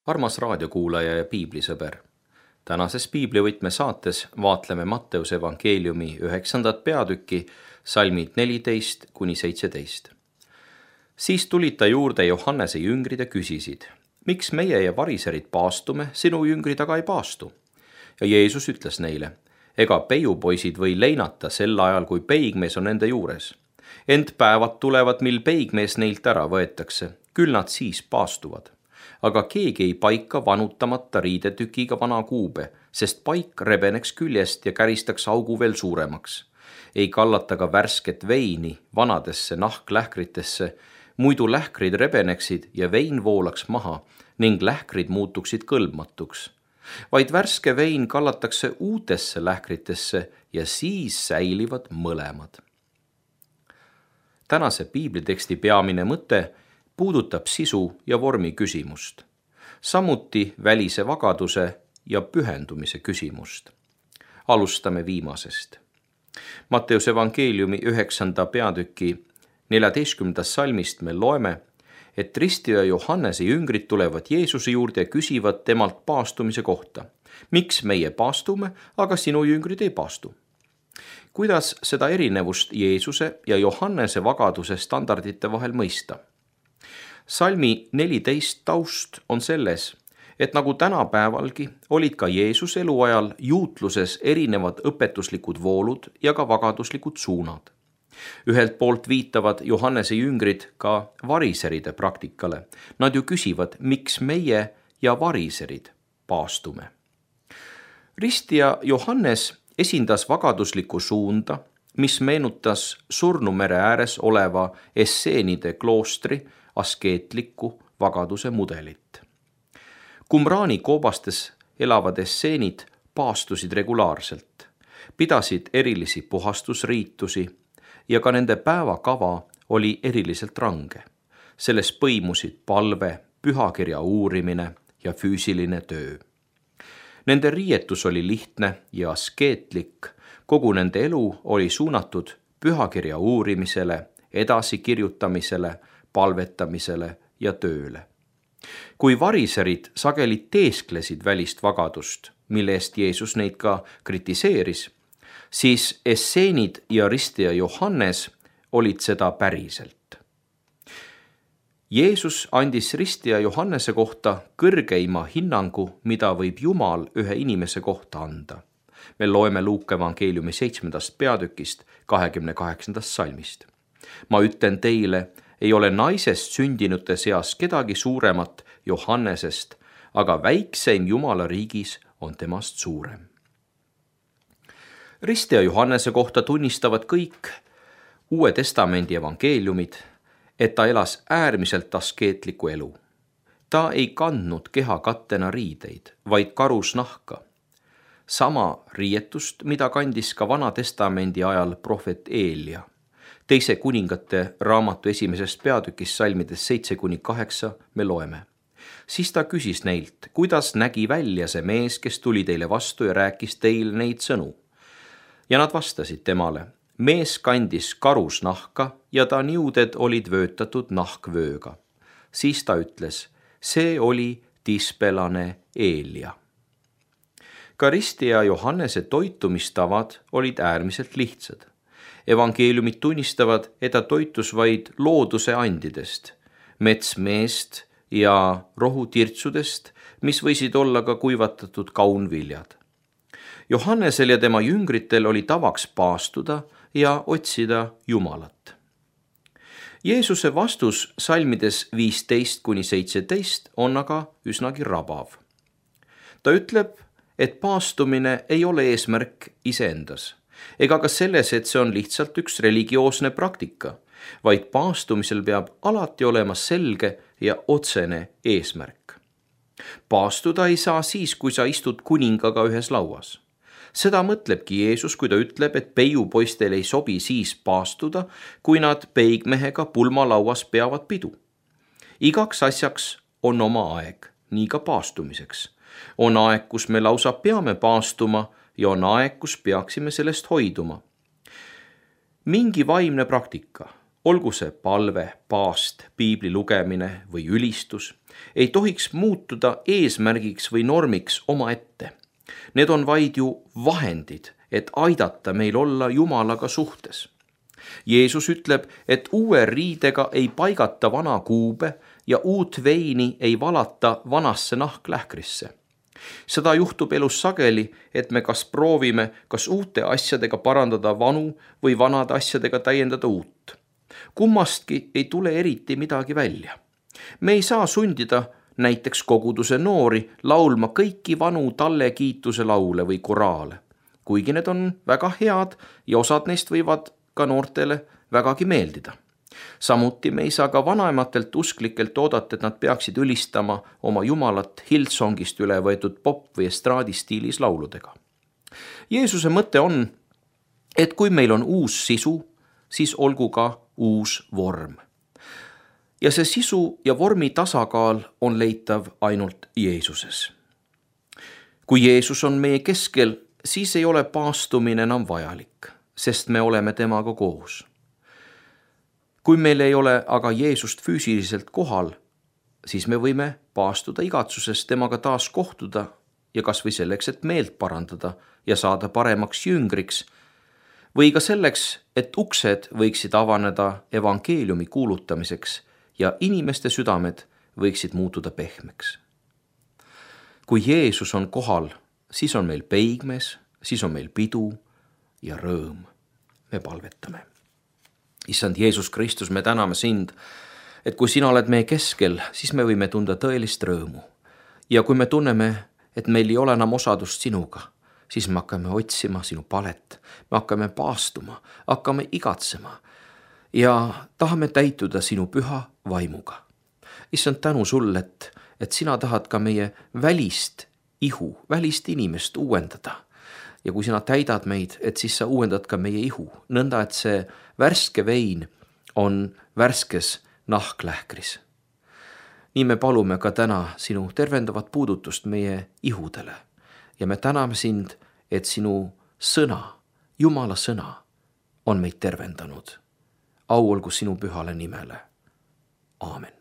Armas raadiokuulaja ja piiblisõber. Tänases piiblivõtme saates vaatleme Matteuse evangeeliumi 9. peatükki, salmid 14–17. Siis tulid ta juurde Johannese jüngrid ja küsisid, miks meie ja variserid paastume, sinu jüngrid aga ei paastu? Ja Jeesus ütles neile, ega peiupoisid või leinata sel ajal, kui peigmees on nende juures. Ent päevad tulevad, mil peigmees neilt ära võetakse, küll nad siis paastuvad. Aga keegi ei paika vanutamata riidetükiga vana kuube, sest paik rebeneks küljest ja käristaks augu veel suuremaks. Ei kallata ka värsket veini vanadesse nahklähkritesse, muidu lähkrid rebeneksid ja vein voolaks maha ning lähkrid muutuksid kõlbmatuks. Vaid värske vein kallatakse uutesse lähkritesse ja siis säilivad mõlemad. Tänase piibliteksti peamine mõte puudutab sisu ja vormi küsimust, samuti välise vagaduse ja pühendumise küsimust. Alustame viimasest. Matteuse evangeeliumi 9. peatüki 14. salmist me loeme, et ristija Johannese jüngrid tulevad Jeesuse juurde ja küsivad temalt paastumise kohta. Miks meie paastume, aga sinu jüngrid ei paastu? Kuidas seda erinevust Jeesuse ja Johannese vagaduse standardite vahel mõista? Salmi 14 taust on selles, et nagu tänapäevalgi olid ka Jeesuse eluajal juutluses erinevad õpetuslikud voolud ja ka vagaduslikud suunad. Ühelt poolt viitavad Johannese jüngrid ka variseride praktikale. Nad ju küsivad, miks meie ja variserid paastume. Ristija Johannes esindas vagaduslikku suunda, mis meenutas Surnumere ääres oleva Esseenide kloostri askeetliku vagaduse mudelit. Qumrani koobastes elavad esseenid paastusid regulaarselt, pidasid erilisi puhastusriitusi ja ka nende päevakava oli eriliselt range. Selles põimusid palve, pühakirja uurimine ja füüsiline töö. Nende riietus oli lihtne ja askeetlik, kogu nende elu oli suunatud pühakirja uurimisele, edasikirjutamisele, palvetamisele ja tööle. Kui variserid sageli teesklesid välist vagadust, mille eest Jeesus neid ka kritiseeris, siis esseenid ja ristija Johannes olid seda päriselt. Jeesus andis ristija Johannese kohta kõrgeima hinnangu, mida võib Jumal ühe inimese kohta anda. Me loeme Luuka evangeeliumi 7. peatükist 28. salmist. Ma ütlen teile, ei ole naisest sündinute seas kedagi suuremat Johannesest, aga väikseim Jumala riigis on temast suurem. Ristija Johannese kohta tunnistavad kõik Uue Testamendi evangeeliumid, et ta elas äärmiselt askeetliku elu. Ta ei kandnud kehakattena riideid, vaid karusnahka. Sama riietust, mida kandis ka Vana Testamendi ajal prohvet Eelia. Teise kuningate raamatu 1. peatükis salmides 7–8 me loeme. Siis ta küsis neilt, kuidas nägi välja see mees, kes tuli teile vastu ja rääkis teile neid sõnu. Ja nad vastasid temale, mees kandis karusnahka ja ta niuded olid vöötatud nahkvööga. Siis ta ütles, see oli tispelane Eelia. Ka ristija Johannese toitumistavad olid äärmiselt lihtsad. Evangeeliumid tunnistavad, et ta toitus vaid looduse andidest, metsmeest ja rohutirtsudest, mis võisid olla ka kuivatatud kaunviljad. Johannesel ja tema jüngritel oli tavaks paastuda ja otsida Jumalat. Jeesuse vastus salmides 15–17 on aga üsnagi rabav. Ta ütleb, et paastumine ei ole eesmärk iseendas, ega ka selles, et see on lihtsalt üks religioosne praktika, vaid paastumisel peab alati olema selge ja otsene eesmärk. Paastuda ei saa siis, kui sa istud kuningaga ühes lauas. Seda mõtlebki Jeesus, kui ta ütleb, et peiupoistel ei sobi siis paastuda, kui nad peigmehega pulmalauas peavad pidu. Igaks asjaks on oma aeg, nii ka paastumiseks. On aeg, kus me lausa peame paastuma ja on aeg, kus peaksime sellest hoiduma. Mingi vaimne praktika, olgu see palve, paast, piibli lugemine või ülistus, ei tohiks muutuda eesmärgiks või normiks omaette. Need on vaid ju vahendid, et aidata meil olla Jumalaga suhtes. Jeesus ütleb, et uue riidega ei paigata vana kuube ja uut veini ei valata vanasse nahklähkrisse. Seda juhtub elus sageli, et me kas proovime uute asjadega parandada vanu või vanade asjadega täiendada uut. Kummastki ei tule eriti midagi välja. Me ei saa sundida näiteks koguduse noori laulma kõiki vanu Talle kiituse laule või koraale, kuigi need on väga head ja osad neist võivad ka noortele vägagi meeldida. Samuti me ei saa ka vanematelt usklikelt oodata, et nad peaksid ülistama oma Jumalat Hillsongist üle võetud pop- või estraadistiilis lauludega. Jeesuse mõte on, et kui meil on uus sisu, siis olgu ka uus vorm. Ja see sisu ja vormi tasakaal on leitav ainult Jeesuses. Kui Jeesus on meie keskel, siis ei ole paastumine enam vajalik, sest me oleme temaga koos. Kui meil ei ole aga Jeesust füüsiliselt kohal, siis me võime paastuda igatsuses temaga taas kohtuda ja kas või selleks, et meelt parandada ja saada paremaks jüngriks, või ka selleks, et uksed võiksid avaneda evangeeliumi kuulutamiseks ja inimeste südamed võiksid muutuda pehmeks. Kui Jeesus on kohal, siis on meil peigmees, siis on meil pidu ja rõõm. Me palvetame. Issand Jeesus Kristus, me täname sind, et kui sina oled meie keskel, siis me võime tunda tõelist rõõmu. Ja kui me tunneme, et meil ei ole enam osadust sinuga, siis me hakkame otsima sinu palet, me hakkame paastuma, hakkame igatsema ja tahame täituda sinu püha vaimuga. Issand, tänu sulle, et sina tahad ka meie välist ihu, välist inimest uuendada. Ja kui sina täidad meid, et siis sa uuendad ka meie ihu, nõnda, et see värske vein on värskes nahklähkris. Nii me palume ka täna sinu tervendavat puudutust meie ihudele ja me täname sind, et sinu sõna, Jumala sõna, on meid tervendanud. Au olgu sinu pühale nimele. Aamen.